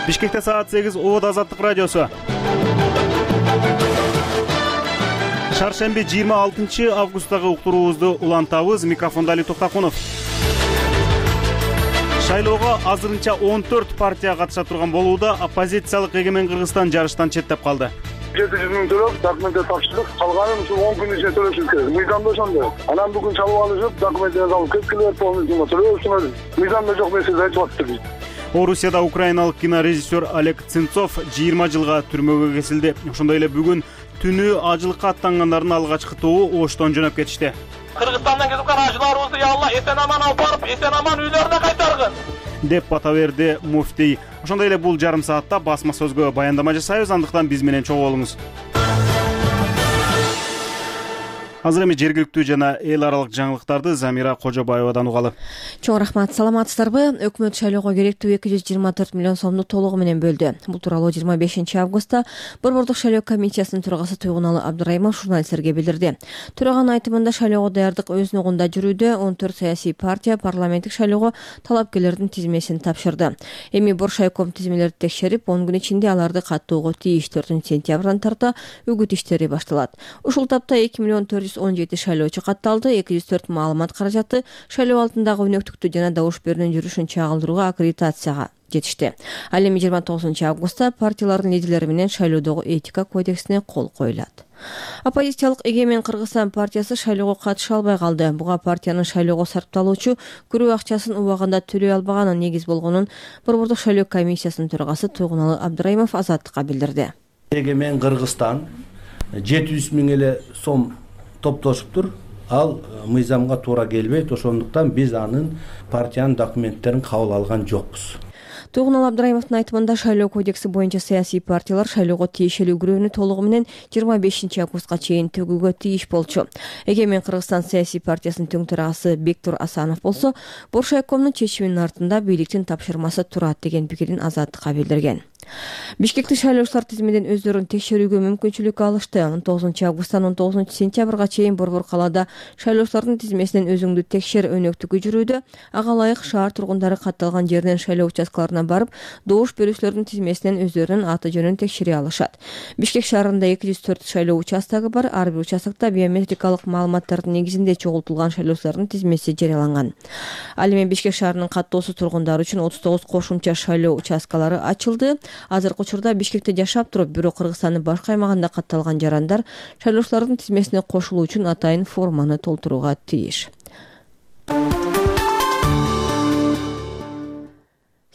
Бишкекте саат 8 Обод Азаттык радиосу. Шаршемби 26 августтагы уктуруубузду улантабыз. Микрофондо Али Токтакунов. Шайлоого азырынча 14 партия катыша турган болууда. Оппозициялык Эгемен Кыргызстан жарыштан четтеп калды. 700 миң төлөп, документти тапшырдык. Калганын ушу 10 күн ичинде төлөшүбүз керек. Мыйзамда ошондой. Анан бүгүн чалып алышып, документтерди алып кеткилер, полностью төлөшүңөр. Мыйзамда жок нерсени айтып атты. Орусияда украиналык кинорежиссер Олег Цинцов 20 жылга түрмөгө кесилди. Ошондой эле бүгүн түнү ажылыкка аттангандардын алгачкы тобу Оштон жөнөп кетишти. Кыргызстандан кетип калган ажыларыбызды я Алла эсен аман алып барып, эсен аман үйлөрүнө кайтаргын деп бата берди муфтий. Ошондой эле бул жарым саатта басма сөзгө баяндама жасайбыз, андыктан биз менен чогуу болуңуз. Азыр эми жергиликтүү жана эл аралык жаңылыктарды Замира Кожобаевадан угалы. Чоң рахмат, саламатсыздарбы? Өкмөт шайлоого керектүү 224 миллион сомду толугу менен бөлдү. Бул тууралуу 25 августта Борбордук шайлоо комиссиясынын төрагасы Туйгуналы Абдырайымов журналисттерге билдирди. Төраганын айтымында шайлоого даярдык өз ногунда жүрүүдө 14 саясий партия парламенттик шайлоого талапкерлердин тизмесин тапшырды. Эми Боршайком тизмелерди текшерип, 10 күн ичинде аларды каттоого тийиш. 4 сентябрдан тарта үгүт иштери башталат. Ушул тапта 2 миллион 417 шайлоочу катталды. 204 маалымат каражаты шайлоо алдындагы өнөктүктү жана добуш берүүнүн жүрүшүн чагылдырууга аккредитацияга жетишти. Ал эми 29 августта партиялардын лидерлери менен шайлоодогу этика кодексине кол коюлат. Оппозициялык Эгемен Кыргызстан партиясы шайлоого катыша албай калды. Буга партиянын шайлоого сарпталуучу күрөө акчасын убагында төлөй албаганы негиз болгонун Борбордук шайлоо комиссиясынын төрагасы Туйгуналы Абдырайымов Азаттыкка билдирди. Эгемен Кыргызстан 700 миң эле сом топтошуптур. Ал мыйзамга туура келбейт. Ошондуктан биз анын партиянын документтерин кабыл алган жокпуз. Туйгуналы Абдырайымовдун айтымында шайлоо кодекси боюнча саясий партиялар шайлоого тиешелүү күрөөнү толугу менен 25 августка чейин төгүүгө тийиш болчу. Эгемен Кыргызстан саясий партиясынын тең төрагасы Бектур Асанов болсо, Боршайкомдун чечиминин артында бийликтин тапшырмасы турат деген пикирин Азаттыкка билдирген. Бишкектик шайлоочулар тизмеден өздөрүн текшерүүгө мүмкүнчүлүк алышты. 19 августтан 19 сентябрга чейин Борбор калаада шайлоочулардын тизмесинен өзүңдү текшер өнөктүгү жүрүүдө. Ага ылайык шаар тургундары катталган жерден шайлоо участкаларына барып, добуш берүүчүлөрдүн тизмесинен өздөрүнүн аты жөнүн текшере алышат. Бишкек шаарында 204 шайлоо участогу бар. Ар бир участокто биометрикалык маалыматтардын негизинде чогултулган шайлоочулардын тизмеси жарыяланган. Ал эми Бишкек шаарынын каттоосу тургундары үчүн 39 кошумча шайлоо участкалары ачылды. Азыркы учурда Бишкекте жашап туруп, бирок Кыргызстандын башка аймагында катталган жарандар шайлоочулардын тизмесине кошулуу үчүн атайын форманы толтурууга тийиш.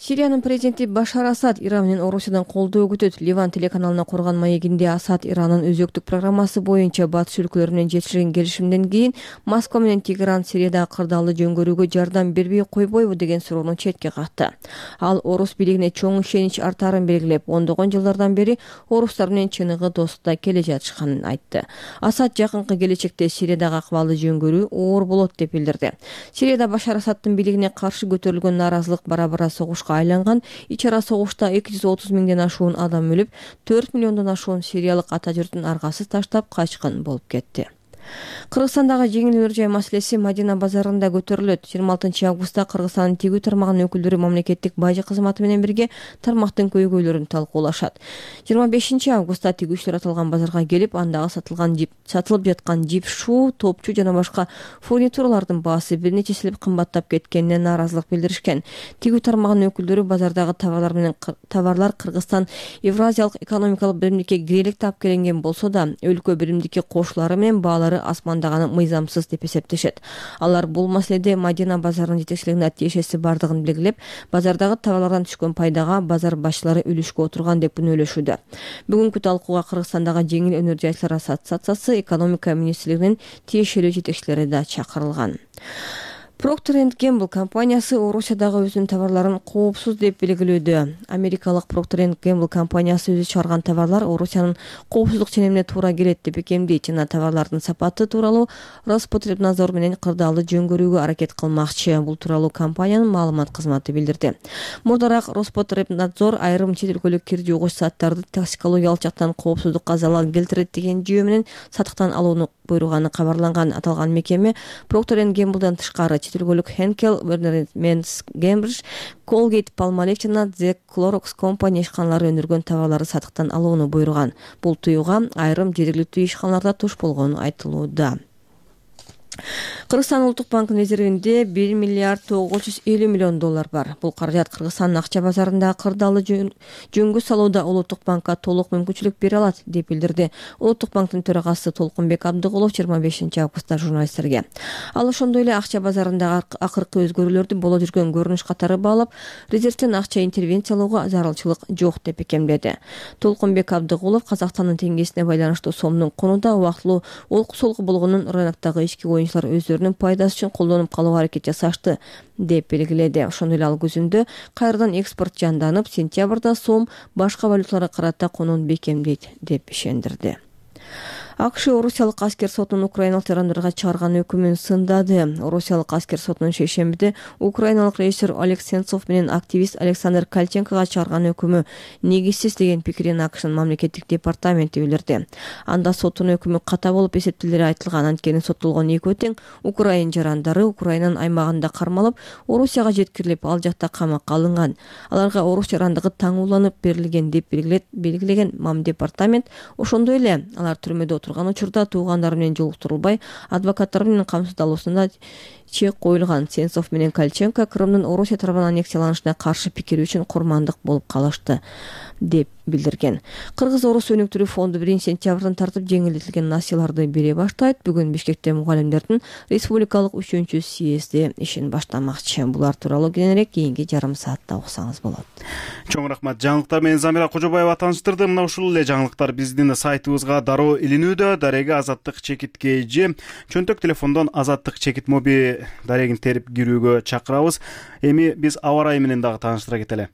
Сириянын президенти Башар Асад Иран менен Орусиядан колдоо күтөт. Ливан телеканалына курган маегинде Асад Иранын өзөктүк программасы боюнча батыш өлкөлөрү менен жетишилген келишимден кийин Москва менен Тегеран Сириядагы кырдаалды жөнгөрүүгө жардам бербей койбойбу деген суроону четке какты. Ал орус бийлигине чоң ишенич артаарын белгилеп, ондогон жылдардан бери орустар менен чыныгы достукта келе жатышканын айтты. Асад жакынкы келечекте Сириядагы акыбалды жөнгөрүү оор болот деп билдирди. Сирияда Башар Асадтын бийлигине каршы көтөрүлгөн нааразылык бара-бара согушка айланган. Ич ара согушта 230 миңден ашуун адам өлүп, 4 миллиондон ашуун сириялык ата журтун аргасыз таштап качкан болуп кетти. Кыргызстандагы жеңил өнөр жай маселеси Мадина базарында көтөрүлөт. 26 августта Кыргызстандын тигүү тармагынын өкүлдөрү мамлекеттик бажы кызматы менен бирге тармактын көйгөйлөрүн талкуулашат. 25 августта тигүүчүлөр аталган базарга келип, андагы сатылып жаткан жип, шуу, топчу жана башка фурнитуралардын баасы бир нече эселеп кымбаттап кеткенине нааразылык билдиришкен. Тигүү тармагынын өкүлдөрү базардагы товарлар Кыргызстан Евразиялык экономикалык биримдикке кирелик таап келинген болсо да, өлкө биримдикке кошулары менен баалары асмандаганы мыйзамсыз деп эсептешет. Алар бул маселеде Мадина базарынын жетекчилигине тиешеси бардыгын белгилеп, базардагы товарлардан түшкөн пайдага базар башчылары үлүшкө отурган деп күнөөлөшүүдө. Бүгүнкү талкууга Кыргызстандагы жеңил өнөр жайчылар ассоциациясы, экономика министрлигинин тиешелүү жетекчилери да чакырылган. Procter & Gamble компаниясы Орусиядагы өзүнүн товарларын коопсуз деп белгилөөдө. Америкалык Procter & Gamble компаниясы өзү чыгарган товарлар Орусиянын коопсуздук ченемине туура келет деп экемдейт жана товарлардын сапаты тууралуу Роспотребнадзор менен кырдаалды жөнгөрүүгө аракет кылмакчы. Бул тууралуу компаниянын маалымат кызматы билдирди. Мурдараак Роспотребнадзор айрым чет өлкөлүк кир жугуч заттарды токсикологиялык жактан коопсуздукка залал келтирет деген жүйө менен сатыктан алууну буйруганы кабарланган аталган мекеме Procter & Gamble'дан тышкары чет өлкөлүк Henkel, Werners Cambridge, Colgate, Palmolive жана The Clorox Company ишканалары өндүргөн товарларды сатыктан алууну буйруган. Бул тыюуга айрым жергиликтүү ишканаларда туш болгону айтылууда. Кыргызстан Улуттук банкынын резервинде 1 миллиард 950 миллион доллар бар. Бул каражат Кыргызстандын акча базарында кырдаалы жөнгө салууда Улуттук банкка толук мүмкүнчүлүк бере алат, деп билдирди Улуттук банктын төрагасы Толкунбек Абдыгулов 25 августта журналисттерге. Ал ошондой эле акча базарындагы акыркы өзгөрүүлөрдү боло жүргөн көрүнүш катары баалап, резервден акча интервенциялоого зарылчылык жок деп бекемдеди. Толкунбек Абдыгулов Казакстандын теңгесине байланыштуу сомдун конуда убактылуу олку-солку болгонун рыноктогу ички оюнчулар өздөрүнүн пайдасы үчүн колдонуп калууга аракет жасашты, деп белгиледи. Ошондой эле ал күзүндө кайрадан экспорт жанданып, сентябрда сом башка валюталарга карата конууну бекемдейт, деп ишендирди. АКШ Орусиялык аскер сотунун украиналык жарандарга чыгарган өкүмүн сындады. Орусиялык аскер сотунун шейшембиде украиналык режиссер Олег Сенцов менен активист Александр Кальченкога чыгарган өкүмү негизсиз деген пикирин АКШнын мамлекеттик департаменти билдирди. Анда соттун өкүмү ката болуп эсептелери айтылган. Анткени соттолгон экөө тең украин жарандары Украинанын аймагында кармалып, Орусияга жеткирилип, ал жакта камакка алынган. Аларга орус жарандыгы таңууланып берилген деп белгилеген мамдепартамент. Ошондой эле алар түрмөдө турган учурда туугандары менен жолуктурулбай, адвокаттар менен камсыздалуусуна чек коюлган. Сенцов менен Кальченко Крымдын Орусия тарабынан аннексияланышына каршы пикири үчүн курмандык болуп калышты, деп билдирген. Кыргыз-Орус өнүктүрүү фонду 1-сентябрдан тартып жеңилдетилген насыяларды бере баштайт. Бүгүн Бишкекте мугалимдердин республикалык 3-съезди ишин баштамакчы. Булар тууралуу кененирээк кийинки жарым саатта уксаңыз болот. Чоң рахмат. Жаңылыктар менен Замира Кожобаева тааныштырды. Мына ушул эле жаңылыктар биздин сайтыбызга дароо илинүүдө. Дареге Азаттык чекит KG, чөнтөк телефондон Азаттык чекит моби дарегин терип кирүүгө чакырабыз. Эми биз аба ырайы менен дагы тааныштыра кетели.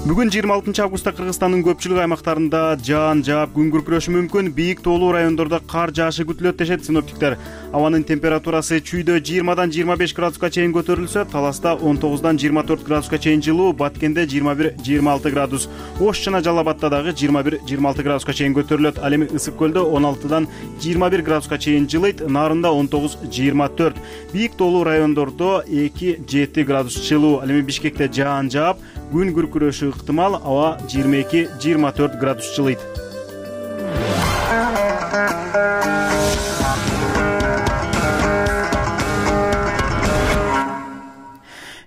Бүгүн 26 августта Кыргызстандын көпчүлүк аймактарында жаан жаап күн күркүрөшү мүмкүн. Бийик тоолуу райондордо кар жаашы күтүлөт дешет синоптиктер. Абанын температурасы чүйдө 20дан 25 градуска чейин көтөрүлсө, Таласта 19дан 24 градуска чейин жылуу, Баткенде 21-26 градус, Ош жана Жалал Абадта дагы 21-26 градуска чейин көтөрүлөт. Ал эми Ысык көлдө 16дан 21 градуска чейин жылыйт, Нарында 19-24. Бийик тоолуу райондордо 2-7 градус жылуу. Ал эми Бишкекте жаан жаап, күн күркүрөшү ыктымал, аба 22-24 градус жылыйт.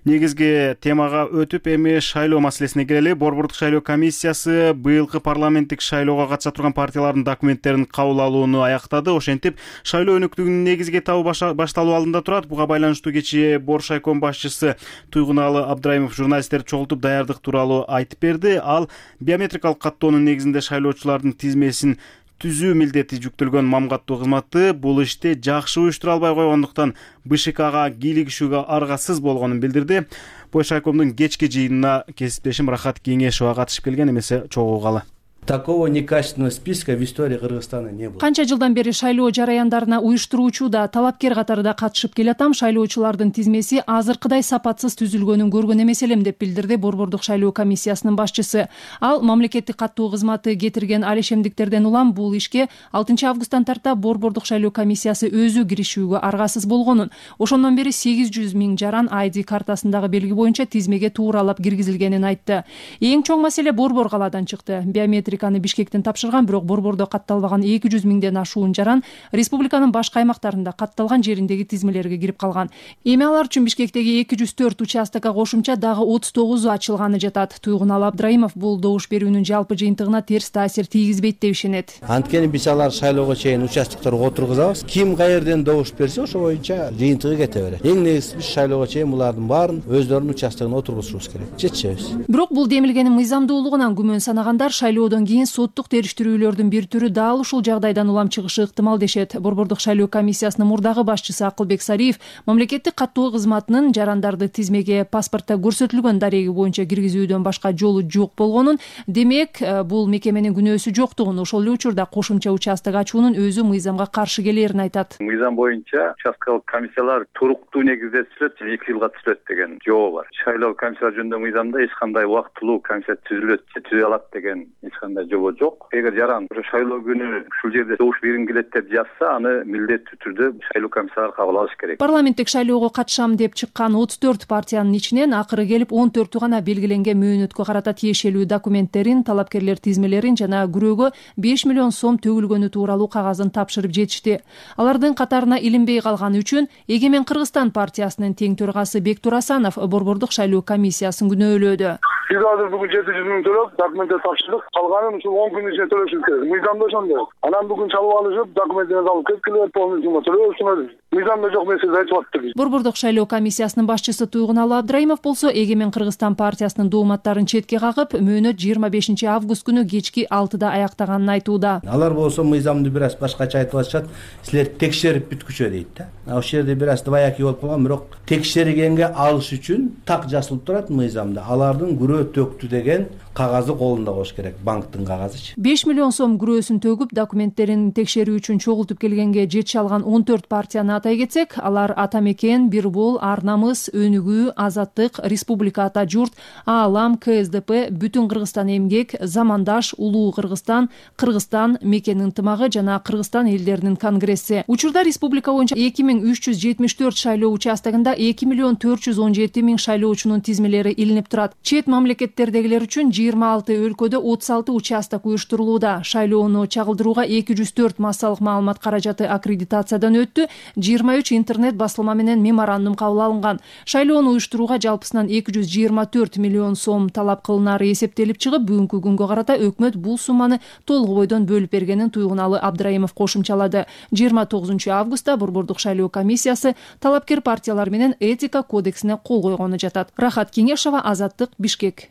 Негизги темага өтүп, эми шайлоо маселесине келели. Борбордук шайлоо комиссиясы быйылкы парламенттик шайлоого катыша турган партиялардын документтерин кабыл алууну аяктады. Ошентип, шайлоо өнүктүгүнүн негизги этабы башталуу алдында турат. Буга байланыштуу кечээ Боршайком башчысы Туйгуналы Абдраимов журналисттерди чогултуп даярдык тууралуу айтып берди. Ал биометрикалык каттоонун негизинде шайлоочулардын тизмесин түзүү милдети жүктөлгөн мамгаттуу кызматы бул ишти жакшы уюштура албай койгондуктан БШКга кийлигишүүгө аргасыз болгонун билдирди. Боршайкомдун кечки жыйынына кесиптешим Рахат Кеңешова катышып келген, эмесе чогуу калы. Такого некачественного списка в истории Кыргызстана не было. Канча жылдан бери шайлоо жараяндарына уюштуруучу да, талапкер катарында катышып келатам. Шайлоочулардын тизмеси азыркыдай сапатсыз түзүлгөнүн көргөн эмес элем, деп билдирди Борбордук шайлоо комиссиясынын башчысы. Ал мамлекеттик каттоо кызматы кетирген алешемдиктерден улам бул ишке 6 августтан тарта Борбордук шайлоо комиссиясы өзү киришүүгө аргасыз болгонун, ошондон бери 800 000 жаран ID картасындагы белги боюнча тизмеге тууралап киргизилгенин айтты. Эң чоң маселе Борбор калаадан чыкты. Биометриканы Бишкектен тапшырган, бирок Борбордо катталбаган 200 000ден ашуун жаран республиканын башка аймактарында катталган жериндеги тизмелерге кирип калган. Эми алар үчүн Бишкектеги 204 участокко кошумча дагы 39 ачылганы жатат. Туйгуналы Абдраимов бул добуш берүүнүн жалпы жыйынтыгына терс таасир тийгизбейт деп ишенет. Анткени биз алар шайлоого чейин участокторго отургузабыз. Ким каерден добуш берсе, ошо боюнча жыйынтыгы кете берет. Эң негизгиси биз шайлоого чейин булардын баарын өздөрүнүн участогуна отургузушубуз керек. Жетишебиз. Бирок бул демилгенин мыйзамдуулугунан күмөн санагандар шайлоодон кийин соттук териштирүүлөрдүн бир түрү дал ушул жагдайдан улам чыгышы ыктымал дешет. Борбордук шайлоо комиссиясынын мурдагы башчысы Акылбек Сариев мамлекеттик каттоо кызматынын жарандарды тизмеге паспортто көрсөтүлгөн дареги боюнча киргизүүдөн башка жолу жок болгонун, демек бул мекеменин күнөөсү жоктугун, ошол эле учурда кошумча участок ачуунун өзү мыйзамга каршы келерин айтат. Мыйзам боюнча участкалык комиссиялар туруктуу негизде түзүлөт, 2 жылга түзүлөт деген жобо бар. Шайлоо комиссиялар жөнүндө мыйзамда эч кандай убактылуу комиссия түзүлөт же түзө алат деген эч кандай анда жобо жок. Эгер жаран шайлоо күнү ушул жерде добуш бергим келет деп жазса, аны милдеттүү түрдө шайлоо комиссиялары кабыл алыш керек. Парламенттик шайлоого катышам деп чыккан 34 партиянын ичинен акыры келип 14 гана белгиленген мөөнөткө карата тиешелүү документтерин, талапкерлер тизмелерин жана күрөөгө 5 миллион сом төгүлгөнү тууралуу кагазын тапшырып жетишти. Алардын катарына илинбей калганы үчүн Эгемен Кыргызстан партиясынын тең төрагасы Бектур Асанов борбордук шайлоо комиссиясын күнөөлөөдү. Биз азыр бүгүн 700 миң төлөп документтер тапшырдык. Калганын ушул 10 күн ичинде төлөшүбүз керек. Мыйзамда ошондой. Анан бүгүн чалып алышып, документтерди алып кеткиле, полный сумма төлөшүңөр. Мыйзамда жок нерсе айтып атты. Борбордук шайлоо комиссиясынын башчысы Туйгуналы Абдраимов болсо Эгемен Кыргызстан партиясынын дооматтарын четке кагып, мөөнөт 25 август күнү кечки 6-да аяктаганын айтууда. Алар болсо мыйзамды бир аз башкача айтып атышат. Силер текшерип бүткүчө дейт да. Ошол жерде бир аз двоякий болуп калган, бирок текшергенге алыш үчүн так жазылып турат мыйзамда. Алардын күрөө төктү деген кагазы колунда болуш керек, банктын кагазычы. 5 миллион сом күрөөсүн төгүп, документтерин текшерүү үчүн чогултуп келгенге жетише алган 14 партияны атай кетсек, алар Ата Мекен, Бир Бул, Ар Намыс, Өнүгүү, Азаттык, Республика Ата Журт, Аалам, КСДП, Бүтүн Кыргызстан Эмгек, Замандаш, Улуу Кыргызстан, Кыргызстан, Мекен ынтымагы жана Кыргызстан элдеринин конгресси. Учурда республика боюнча 2374 шайлоо участогунда 2 миллион 417 миң шайлоочунун тизмелери илинип турат. Чет мамлекеттердегилер үчүн 26 өлкөдө 36 участок уюштурулууда. Шайлоону чагылдырууга 204 массалык маалымат каражаты аккредитациядан өттү. 23 интернет басылма менен меморандум кабыл алынган. Шайлоону уюштурууга жалпысынан 224 миллион сом талап кылынары эсептелип чыгып, бүгүнкү күнгө карата өкмөт бул сумманы толук бойдон бөлүп бергенин Туйгуналы Абдраимов кошумчалады. 29 августта борбордук шайлоо комиссиясы талапкер партиялар менен этика кодексине кол койгону жатат. Рахат Кеңешова, Азаттык, Бишкек.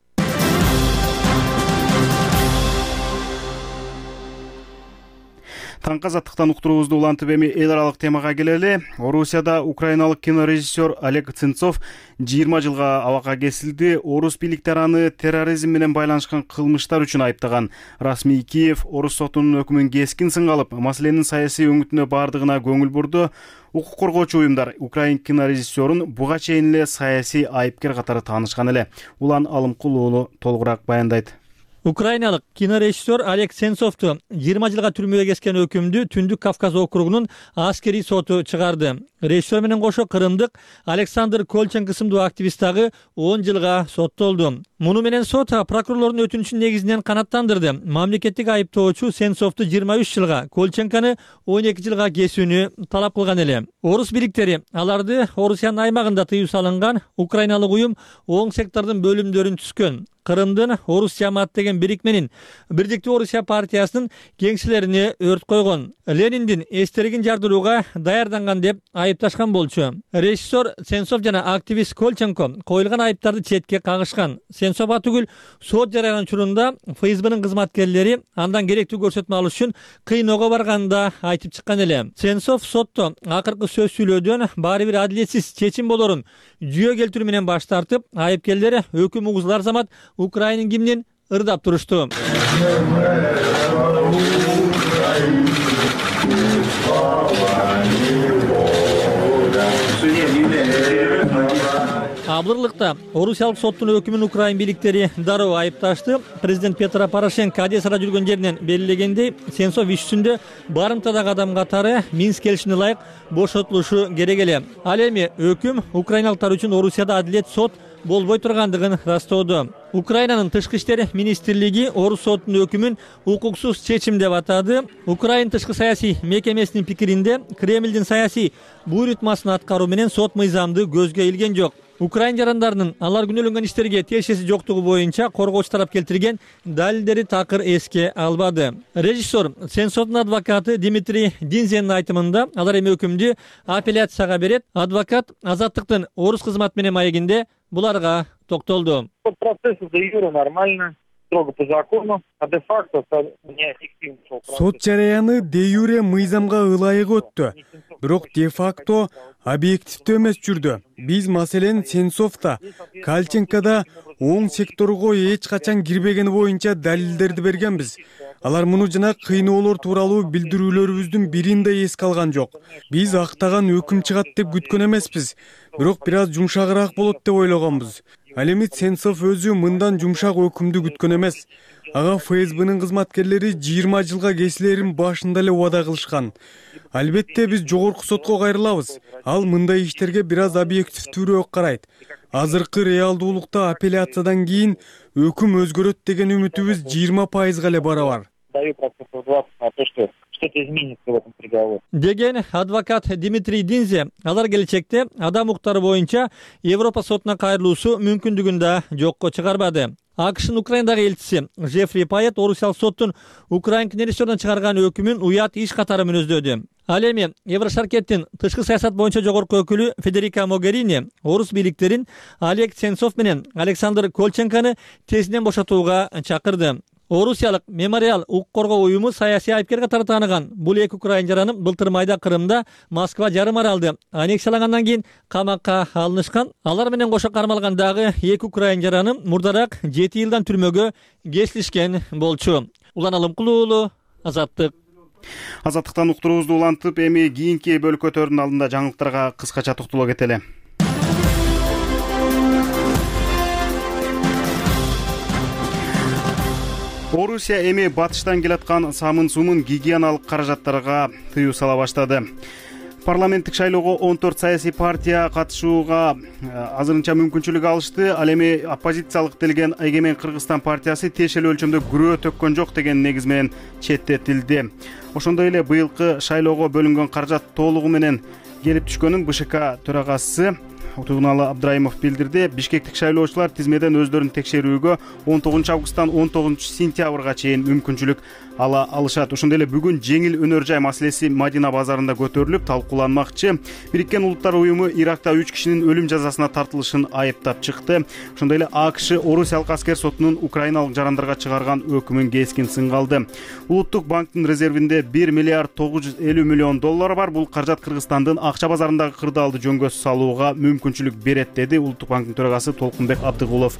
Таңкы азаттыктан уктуруубузду улантып эми эл аралык темага келели. Орусияда украиналык кинорежиссер Олег Сенцов 20 жылга абакка кесилди. Орус бийликтери аны терроризм менен байланышкан кылмыштар үчүн айыптаган. Расмий Киев Орус сотунун өкүмүн кескин сынга алып, маселенин саясий өңүтүнө бардыгына көңүл бурду. Укук коргоочу уюмдар украин кинорежиссерун буга чейин эле саясий айыпкер катары таанышкан эле. Улан Алымкул уулу толугураак баяндайт. Украиналык кинорежиссер Олег Сенцовду 20 жылга түрмөгө кескен өкүмдү Түндүк Кавказ округунун аскерий соту чыгарды. Режиссер менен кошо кырымдык Александр Колченко сымдуу активист дагы 10 жылга соттолду. Муну менен сот прокурорлордун өтүнүчүн негизинен канааттандырды. Мамлекеттик айыптоочу Сенцовду 23 жылга, Колченкону 12 жылга кесүүнү талап кылган эле. Орус бийликтери аларды Орусиянын аймагында тыюу салынган украиналык уюм оң сектордун бөлүмдөрүн түзгөн. Кырымдын Орус жамаат деген бирикменин Бирдиктүү Орусия партиясынын кеңселерине өрт койгон. Лениндин эстелигин жардырууга даярданган деп айыпташкан болчу. Режиссер Сенцов жана активист Колченко коюлган айыптарды четке кагышкан. Сенцов түгүл сот жарыян учурунда ФСБнын кызматкерлери андан керектүү көрсөтмө алыш үчүн кыйноого барганында айтып чыккан эле. Сенцов сотто акыркы сөз сүйлөөдөн баары бир адилетсиз чечим болорун жүйө келтирүү менен баш тартып, айыпкерлер өкүм угузулар замат Украинын гимнин ырдап турушту. Абдырлыкта Орусиялык соттун өкүмүн Украин бийликтери дароо айыпташты. Президент Петро Порошенко Одессада жүргөн жеринен белгилегендей, Сенцов иш жүзүндө барымтадагы адам катары Минск келишимине ылайык бошотулушу керек эле. Ал эми өкүм украиналыктар үчүн Орусияда адилет сот болбой тургандыгын растоодо. Украинанын тышкы иштер министрлиги Орус сотунун өкүмүн укуксуз чечим деп атады. Украин тышкы саясий мекемесинин пикиринде Кремлдин саясий буйрутмасын аткаруу менен сот мыйзамды көзгө илген жок. Украин жарандарынын алар күнөөлөнгөн иштерге тиешеси жоктугу боюнча коргоочу тарап келтирген далилдери такыр эске албады. Режиссер Сенцовдун адвокаты Дмитрий Динзенин айтымында алар эми өкүмдү апелляцияга берет. Адвокат Азаттыктын Орус кызмат менен маегинде буларга токтолду. Процесс де юре нормально, строго по закону, а де факто неэффективно. Сот жараяны де юре мыйзамга ылайык өттү. Бирок де факто объективдүү эмес жүрдү. Биз маселен Сенцовда, Колченкода оң секторго эч качан кирбегени боюнча далилдерди бергенбиз. Алар муну жана кыйноолор тууралуу билдирүүлөрүбүздүн бирин да эске алган жок. Биз актаган өкүм чыгат деп күткөн эмеспиз. Бирок бир аз жумшагыраак болот деп ойлогонбуз. Ал эми Сенцов өзү мындан жумшак өкүмдү күткөн эмес. Ага ФСБнын кызматкерлери 20 жылга кесилерин башында эле убада кылышкан. Албетте биз жогорку сотко кайрылабыз. Ал мындай иштерге бир аз объективдүүрөөк карайт. Азыркы реалдуулукта апелляциядан кийин өкүм өзгөрөт деген үмүтүбүз 20% эле барабар. Деген адвокат Дмитрий Динзе, алар келечекте адам укуктары боюнча Европа сотуна кайрылуусу мүмкүндүгүн да жокко чыгарбады. АКШнын Украиндагы элчиси Жефри Пайет орусиялык соттун Украин кнерестерден чыгарган өкүмүн уят иш катары мүнөздөдү. Ал эми Еврошаркеттин тышкы саясат боюнча жогорку өкүлү Федерика Могерини орус бийликтерин Олег Сенцов менен Александр Колченканы тезинен бошотууга чакырды. Орусиялык Мемориал укук коргоо уюму саясий айыпкер катары тааныган бул эки украин жараны былтыр майда Крымда Москва жарым аралды аннексиялагандан кийин камакка алынышкан. Алар менен кошо кармалган дагы эки украин жараны мурдараак 7 жылдан түрмөгө кесилишкен болчу. Улан Алымкул уулу, Азаттык. Азаттыктан уктуруубузду улантып, эми кийинки бөлкөтөрдүн алдында жаңылыктарга кыскача токтоло кетели. Орусия эми батыштан келаткан самын сумун гигиеналык каражаттарга тыюу сала баштады. Парламенттик шайлоого 14 саясий партия катышууга азырынча мүмкүнчүлүк алышты. Ал эми оппозициялык делген Эгемен Кыргызстан партиясы тиешелүү өлчөмдө күрөө төккөн жок деген негиз менен четтетилди. Ошондой эле быйылкы шайлоого бөлүнгөн каражат толугу менен келип түшкөнүн БШК төрагасы Утугуналы Абдраимов билдирди. Бишкектик шайлоочулар тизмеден өздөрүн текшерүүгө 19 августтан 19 сентябрга чейин мүмкүнчүлүк ала алышат. Ошондой эле бүгүн жеңил өнөр жай маселеси Мадина базарында көтөрүлүп талкууланмакчы. Бириккен Улуттар уюму Иракта 3 кишинин өлүм жазасына тартылышын айыптап чыкты. Ошондой эле АКШ Орусиялык аскер сотунун украиналык жарандарга чыгарган өкүмүн кескин сынга алды. Улуттук банктын резервинде 1 миллиард 950 миллион доллар бар. Бул каражат Кыргызстандын акча базарындагы кырдаалды жөнгө салууга мүмкүнчүлүк берет, деди Улуттук банктын төрагасы Толкунбек Абдыгулов.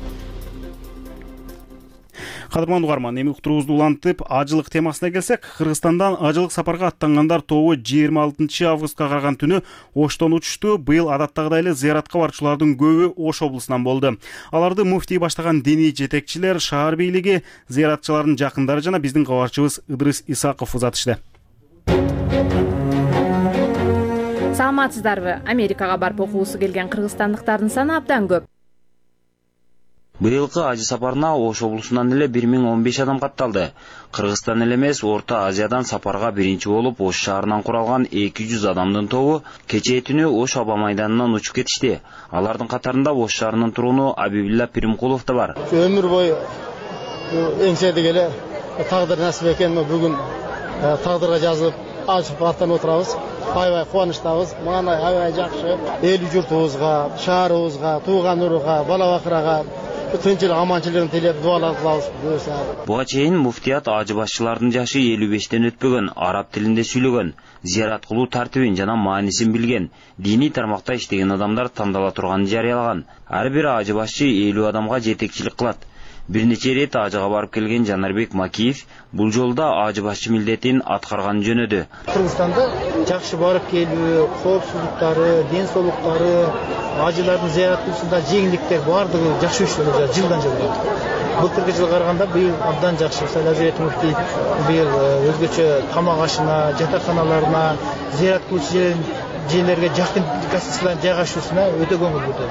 Кадырман угарман, эми уктуруубузду улантып, ажылык темасына келсек, Кыргызстандан ажылык сапарга аттангандар тобу 26 августка караган түнү Оштон учушту. Быйыл адаттагыдай эле зыяратка барчулардын көбү Ош облусунан болду. Аларды муфтий баштаган диний жетекчилер, шаар бийлиги, зыяратчылардын жакындары жана биздин кабарчыбыз Ыдрыс Исаков узатышты. Саламатсыздарбы? Америкага барып окуусу келген кыргызстандыктардын саны абдан көп. Быйылкы ажы сапарына Ош облусунан эле 1015 адам катталды. Кыргызстан эле эмес, Орто Азиядан сапарга биринчи болуп Ош шаарынан куралган 200 адамдын тобу кечээ түнү Ош аба майданынан учуп кетишти. Алардын катарында Ош шаарынын туруну Абибилла Пиримкулов да бар. Өмүр бою эңседик эле тагдыр насип экен, бүгүн тагдырга жазылып ажып аттанып отурабыз. Аябай кубанычтабыз. Мына аябай жакшы. Эл журтубузга, шаарыбызга, тууган уруга, бала бакырага тынчылык, аманчылыгын тилеп дуалар кылабыз. Буга чейин муфтият ажы башчылардын жашы 55-тен өтпөгөн, араб тилинде сүйлөгөн, зыярат кылуу тартибин жана маанисин билген, диний тармакта иштеген адамдар тандала турганын жарыялаган. Ар бир ажы башчы 50 адамга жетекчилик кылат. Бир нече рет ажыга барып келген Жанарбек Макиев бул жолда ажы башчы милдетин аткарган жөнөдү. Кыргызстанда жакшы барып келүү, коопсуздуктары, ден соолуктары, ажылардын зыярат кылуусунда жеңилдиктер бардыгы жакшы өтүп жылдан жылга. Былтыркы жылга караганда быйыл абдан жакшы. Мисалы Азият муфтий быйыл өзгөчө тамак ашына, жатаканаларына, зыярат кылуучу жерлерге жакын гостиниялардын жайгашуусуна өтө көңүл бурду.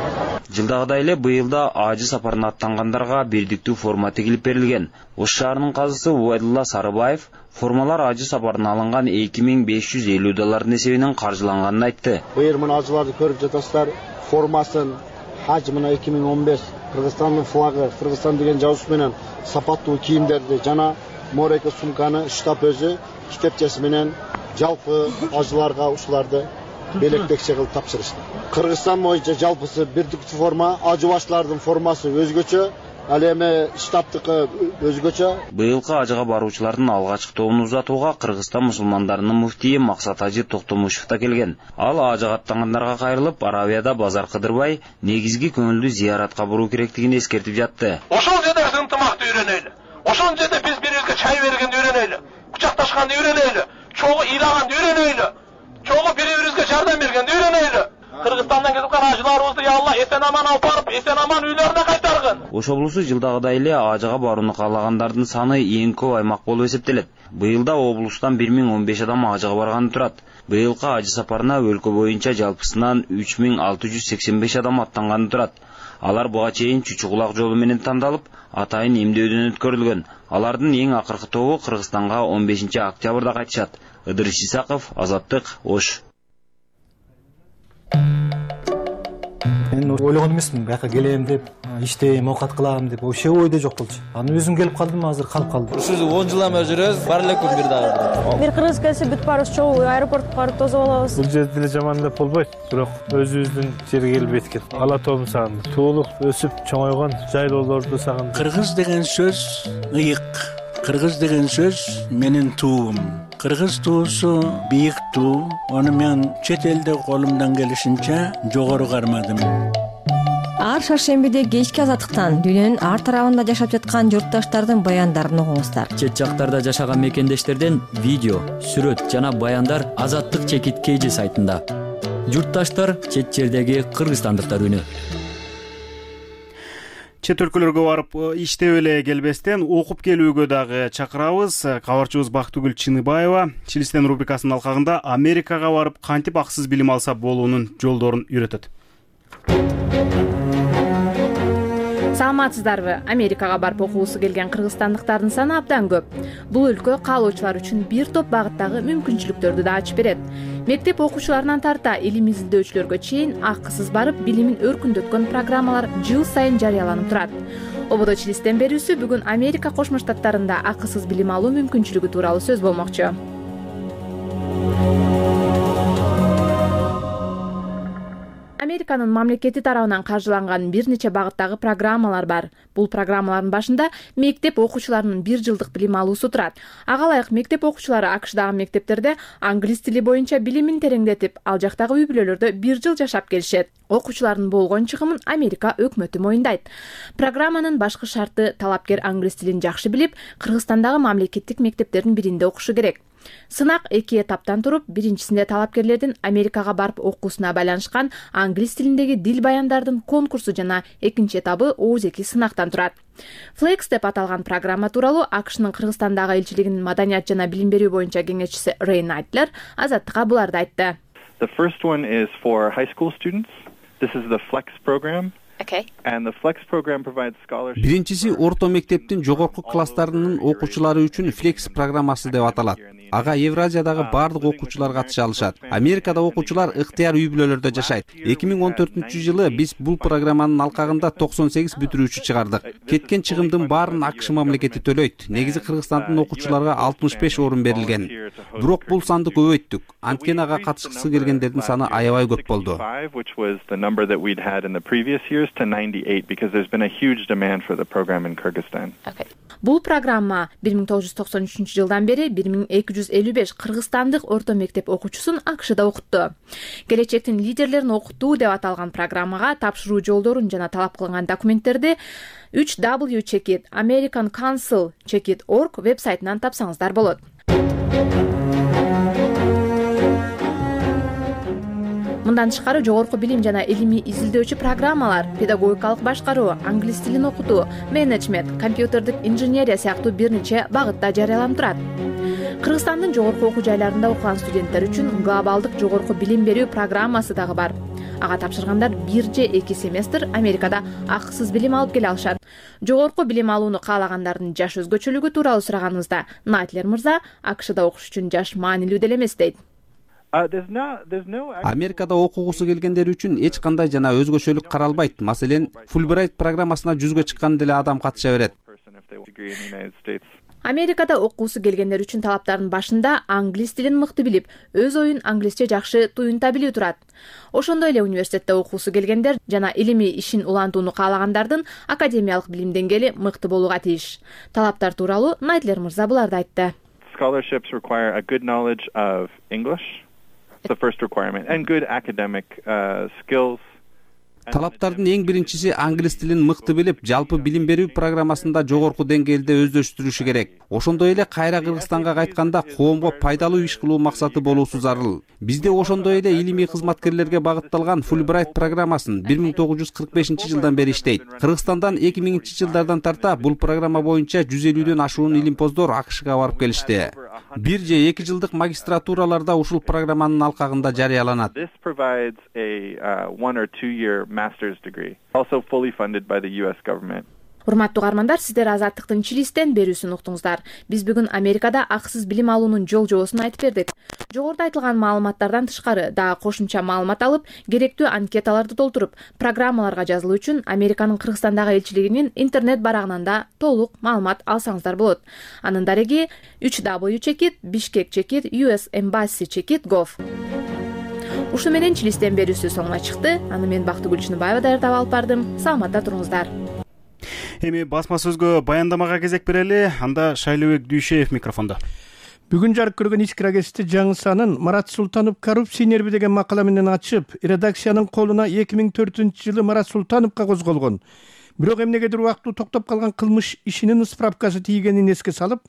Жылдагыдай эле быйыл да ажы сапарына аттангандарга бирдиктүү форма тигилип берилген. Ош шаарынын казысы Убайдулла Сарыбаев формалар ажы сапарына алынган 2550 доллардын эсебинен каржыланганын айтты. Быйыл мына ажыларды көрүп жатасыздар, формасын Хаж мына 2015 Кыргызстандын флагы, Кыргызстан деген жазуусу менен сапаттуу кийимдерди жана мореке сумканы штаб өзү китепчеси менен жалпы ажыларга ушуларды белектекче кылып тапшырышты. Кыргызстан боюнча жалпысы бирдиктүү форма, ажы башчылардын формасы өзгөчө, ал эми штабтыкы өзгөчө. Быйылкы ажыга баруучулардын алгачкы тобун узатууга Кыргызстан мусулмандарынын муфтийи Максат Ажы Токтомушев да келген. Ал ажыга аттангандарга кайрылып, Аравияда Базар Кыдырбай негизги көңүлдүү зыяратка буруу керектигин эскертип жатты. Ошол жерде ынтымакты үйрөнөйлү. Ошол жерде биз бири-бирибизге чай бергенди үйрөнөйлү. Кучакташканды үйрөнөйлү. Чогуу ыйлаганды үйрөнөйлү. Чогуу бири-бирибизге жардам бергенди үйрөнөйлү. Кыргызстандан кетип калган ажыларыбызды я Алла эсен аман алып барып, эсен аман үйлөрүнө кайтаргын. Ош облусу жылдагыдай эле ажыга барууну каалагандардын саны эң көп аймак болуп эсептелет. Быйылда облустан 1015 адам ажыга барганы турат. Быйылкы ажы сапарына өлкө боюнча жалпысынан 3685 адам аттанганы турат. Алар буга чейин Чүчү Кулак жолу менен тандалып, атайын эмдөөдөн өткөрүлгөн. Алардын эң акыркы тобу Кыргызстанга 15 октябрда кайтышат. Ыдырыс Исаков, Азаттык, Ош. Мен ойлогон эмесмин, бияка келем деп, иштейм, оокат кылам деп, вообще ойдо жок болчу. Аны өзүм келип калдым, азыр калып калдым. Ушул 10 жылдан бери жүрөбүз, бар эле күн бир дагы. Бир кыргыз келсе бүт баарыбыз чогуу аэропортко барып тосуп алабыз. Бул жерде деле жаман деп болбойт, бирок өзүбүздүн жерге келип эткен. Ала тообун сагындым. Туулуп, өсүп, чоңойгон жайлоолорду сагындым. Кыргыз деген сөз ыйык. Кыргыз деген сөз менин туум. Кыргыз туусу бийик туу. Аны мен чет элде колумдан келишинче жогору кармадым. Ар шаршембиде кечки азаттыктан дүйнөнүн ар тарабында жашап жаткан журтташтардын баяндарын угуңуздар. Чет жактарда жашаган мекендештерден видео, сүрөт жана баяндар Азаттык чекит KG сайтында. Журтташтар чет жердеги кыргызстандыктар үнү. Чет өлкөлөргө барып иштеп эле келбестен окуп келүүгө дагы чакырабыз. Кабарчыбыз Бактыгүл Чыныбаева Чилистен рубрикасынын алкагында Америкага барып кантип аксыз билим алса болуунун жолдорун үйрөтөт. Саламатсыздарбы? Америкага барып окуусу келген кыргызстандыктардын саны абдан көп. Бул өлкө каалоочулар үчүн бир топ багыттагы мүмкүнчүлүктөрдү да ачып берет. Мектеп окуучуларынан тарта илим изилдөөчүлөргө чейин акысыз барып билимин өркүндөткөн программалар жыл сайын жарыяланып турат. Ободо Чилистен берүүсү бүгүн Америка Кошмо Штаттарында акысыз билим алуу мүмкүнчүлүгү тууралуу сөз болмокчу. Американын мамлекети тарабынан каржыланган бир нече багыттагы программалар бар. Бул программалардын башында мектеп окуучуларынын бир жылдык билим алуусу турат. Ага ылайык мектеп окуучулары АКШдагы мектептерде англис тили боюнча билимин тереңдетип, ал жактагы үй-бүлөлөрдө бир жыл жашап келишет. Окуучулардын болгон чыгымын Америка өкмөтү моюндайт. Программанын башкы шарты талапкер англис тилин жакшы билип, Кыргызстандагы мамлекеттик мектептердин биринде окушу керек. Сынак 2 этаптан туруп, биринчисинде талапкерлердин Америкага барып окуусуна байланышкан англис тилиндеги дил баяндардын конкурсу жана экинчи этабы ооз-2 сынактан турат. Flex деп аталган программа тууралуу АКШнын Кыргызстандагы элчилигинин маданият жана билим берүү боюнча кеңешчиси Рэй Найтлер Азаттыкка буларды айтты. The first one is for high school students. This is the Flex program. Okay. And the Flex program provides scholarships. Биринчиси орто мектептин жогорку класстарынын окуучулары үчүн Flex программасы деп аталат. Ага Евразиядагы бардык окуучулар катыша алышат. Америкада окуучулар ыктыяр үй-бүлөлөрдө жашайт. 2014-жылы биз бул программанын алкагында 98 бүтүрүүчү чыгардык. Кеткен чыгымдын баарын АКШ мамлекети төлөйт. Негизи Кыргызстандын окуучуларга 65 орун берилген. Бирок бул санды көбөйттүк. Анткени ага катышкысы келгендердин саны аябай көп болду. Бул программа 1993-жылдан бери 1255 кыргызстандык орто мектеп окуучусун АКШда окутту. Келечектин лидерлерин окутуу деп аталган программага тапшыруу жолдорун жана талап кылынган документтерди 3W Checkit American Council Checkit.org вебсайтынан тапсаңыздар болот. Мындан тышкары жогорку билим жана илимий изилдөөчү программалар, педагогикалык башкаруу, англис тилин окутуу, менеджмент, компьютердик инженерия сыяктуу бир нече багытта жарыяланып турат. Кыргызстандын жогорку окуу жайларында окуган студенттер үчүн глобалдык жогорку билим берүү программасы дагы бар. Ага тапшыргандар 1 же 2 семестр Америкада акысыз билим алып келе алышат. Жогорку билим алууну каалагандардын жаш өзгөчөлүгү тууралуу сураганыбызда Найтлер мырза АКШда окуш үчүн жаш маанилүү деле эмес дейт. Америкада окугусу келгендер үчүн эч кандай жана өзгөчөлүк каралбайт. Маселен, Fulbright программасына жүзгө чыккан деле адам катыша берет. Америкада окуусу келгендер үчүн талаптардын башында англис тилин мыкты билип, өз оюн англисче жакшы туюнта билүү турат. Ошондой эле университетте окуусу келгендер жана илимий ишин улантууну каалагандардын академиялык билим деңгээли мыкты болууга тийиш. Талаптар тууралуу Найтлер мырза буларды айтты. Scholarships require a good knowledge of English. The first requirement and good academic skills. Талаптардын эң биринчиси англис тилин мыкты билип, жалпы билим берүү программасында жогорку деңгээлде өздөштүрүшү керек. Ошондой эле кайра Кыргызстанга кайтканда коомго пайдалуу иш кылуу максаты болуусу зарыл. Бизде ошондой эле илимий кызматкерлерге багытталган Fulbright программасын 1945-жылдан бери иштейт. Кыргызстандан 2000-жылдардан тарта бул программа боюнча 150дөн ашуун илимпоздор АКШга барып келишти. 1 же 2 жылдык магистратураларда ушул программанын алкагында жарыяланат. This provides a 1 or 2 year master's degree, also fully funded by the US government. Урматтуу каармандар, сиздер Азаттыктын Чилистен берүүсүн уктуңуздар. Биз бүгүн Америкада акысыз билим алуунун жол-жобосун айтып бердик. Жогоруда айтылган маалыматтардан тышкары дагы кошумча маалымат алып, керектүү анкеталарды толтуруп, программаларга жазылуу үчүн Американын Кыргызстандагы элчилигинин интернет барагынан да толук маалымат алсаңыздар болот. Анын дареги www.bishkek.usembassy.gov. Ушу менен Чилистен берүүсү соңуна чыкты. Аны мен Бактыгүл Чыныбаева даярдап алып бардым. Саламатта туруңуздар. Эми басма сөзгө баяндамага кезек берели. Анда Шайлообек Дүйшеев микрофондо. Бүгүн жарык көргөн ички гезити жаңы санын Марат Султанов коррупция нерви деген макала менен ачып, редакциянын колуна 2004-жылы Марат Султановго козголгон. Бирок эмнегедир убактылуу токтоп калган кылмыш ишинин справкасы тийгенин эске салып,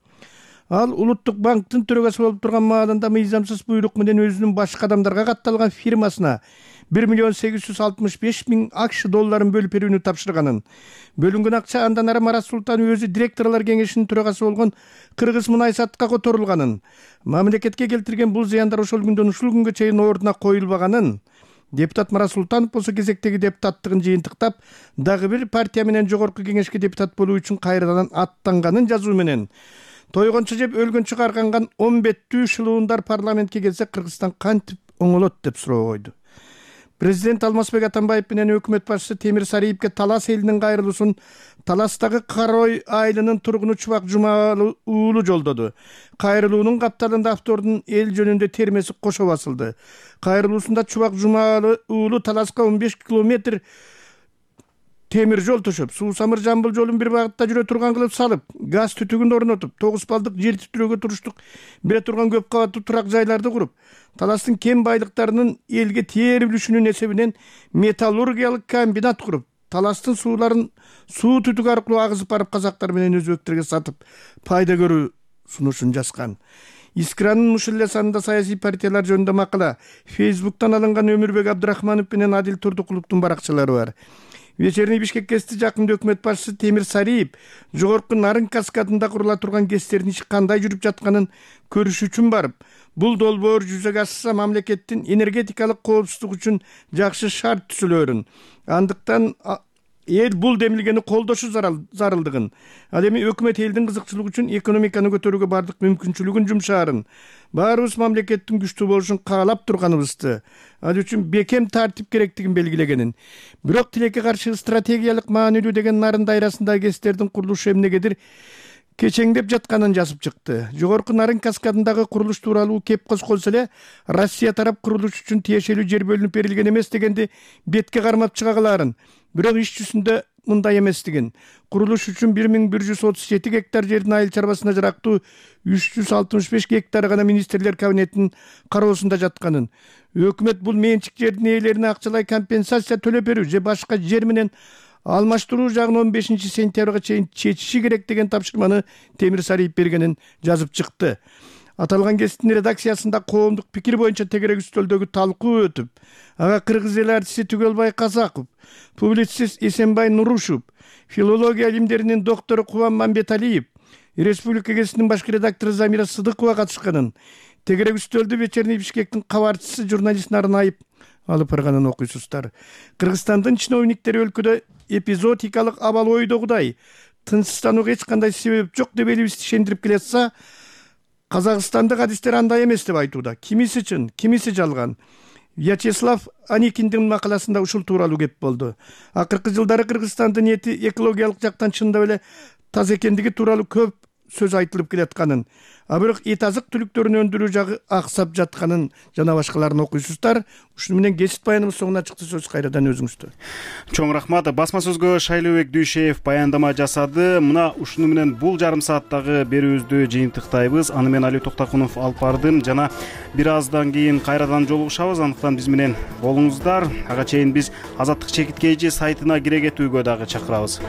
ал Улуттук банктын төрөгөсү болуп турган маалында мыйзамсыз буйрук менен өзүнүн башка адамдарга катталган фирмасына 1,865,000 АКШ долларын бөлүп берүүнү тапшырганын. Бөлүнгөн акча андан ары Марат Султанов өзү директорлор кеңешинин төрагасы болгон Кыргыз Мунайсатка которулганын. Мамлекетке келтирген бул зыяндар ошол күндөн ушул күнгө чейин ордуна коюлбаганын. Депутат Марат Султанов болсо кезектеги депутаттыгын жыйынтыктап, дагы бир партия менен жогорку кеңешке депутат болуу үчүн кайрадан аттанганын жазуу менен тойгончу жеп өлгөнчү карганган 10 беттүү шылуундар парламентке келсе Кыргызстан кантип оңолот деп суроо койду. Президент Алмазбек Атамбаев менен өкмөт башчысы Темир Сариевке Талас элинин кайрылуусун Таластагы Карой айылынын тургуну Чубак Жумалы уулу жолдоду. Кайрылуунун капталында автордун эл жөнүндө термеси кошо басылды. Кайрылуусунда Чубак Жумалы уулу Таласка 15 километр темир жол төшөп, Суу-Самыр Жамбыл жолун бир багытта жүрө турган кылып салып, газ түтүгүн орнотуп, 9 балдык жер титирөөгө туруштук бере турган көп кабаттуу турак жайларды куруп, Таластын кен байлыктарынын элге тээр үлүшүнүн эсебинен металлургиялык комбинат куруп, Таластын сууларын суу түтүк аркылуу агызып барып казактар менен өзбектерге сатып, пайда көрүү сунушун жазган. Искранын ушул эле санында саясий партиялар жөнүндө макала Facebook'тан алынган Өмүрбек Абдрахманов менен Адил Турдукуловдун баракчалары бар. Вечерний Бишкек гезити жакында өкмөт башчысы Темир Сариев жогорку Нарын каскадында курула турган гезтердин иши кандай жүрүп жатканын көрүш үчүн барып, бул долбоор жүзөгө ашса мамлекеттин энергетикалык коопсуздук үчүн жакшы шарт түзүлөрүн, андыктан эл бул демилгени колдошу зарылдыгын, ал эми өкмөт элдин кызыкчылыгы үчүн экономиканы көтөрүүгө бардык мүмкүнчүлүгүн жумшаарын, баарыбыз мамлекеттин күчтүү болушун каалап турганыбызды, ал үчүн бекем тартип керектигин белгилегенин, бирок тилекке каршы стратегиялык маанилүү деген Нарын дайрасындагы гезтердин курулушу эмнегедир кечеңдеп жатканын жазып чыкты. Жогорку Нарын каскадындагы курулуш тууралуу кеп козголсо эле Россия тарап курулуш үчүн тиешелүү жер бөлүнүп берилген эмес дегенди бетке кармап чыга калаарын, бирок иш жүзүндө мындай эместигин. Курулуш үчүн 1137 гектар жердин айыл чарбасына жарактуу 365 гектар гана министрлер кабинетинин кароосунда жатканын, өкмөт бул менчик жердин ээлерине акчалай компенсация төлөп берүү же башка жер менен алмаштыруу жагын 15 сентябрга чейин чечиши керек деген тапшырманы Темир Сариев бергенин жазып чыкты. Аталган гезиттин редакциясында коомдук пикир боюнча тегерек үстөлдөгү талкуу өтүп, ага кыргыз эл артисти Түгөлбай Казаков, публицист Эсенбай Нурушев, филология илимдеринин доктору Кубан Мамбеталиев, Республика гезитинин башкы редактору Замира Сыдыкова катышканын, тегерек үстөлдү Вечерний Бишкектин кабарчысы журналист Нарынаев алып барганын окуйсуздар. Кыргызстандын чиновниктери өлкөдө эпизодикалык абал ойдогудай тынчсызданууга эч кандай себеп жок деп элибизди ишендирип келатса, казакстандык адистер андай эмес деп айтууда. Кимиси чын, кимиси жалган. Вячеслав Аникиндин макаласында ушул тууралуу кеп болду. Акыркы жылдары Кыргызстандын эти экологиялык жактан чындап эле таза экендиги тууралуу көп сөз айтылып келатканын, а бирок эт азык түлүктөрүн өндүрүү жагы аксап жатканын жана башкаларын окуйсуздар. Ушуну менен кесип баяныбыз соңуна чыкты. Сөз кайрадан өзүңүздө. Чоң рахмат. Басма сөзгө Шайлообек Дүйшеев баяндама жасады. Мына ушуну менен бул жарым сааттагы берүүбүздү жыйынтыктайбыз. Аны мен Али Токтакунов алып бардым жана бир аздан кийин кайрадан жолугушабыз. Андыктан биз менен болуңуздар. Ага чейин биз Азаттык чекиткейчи сайтына кире кетүүгө дагы чакырабыз.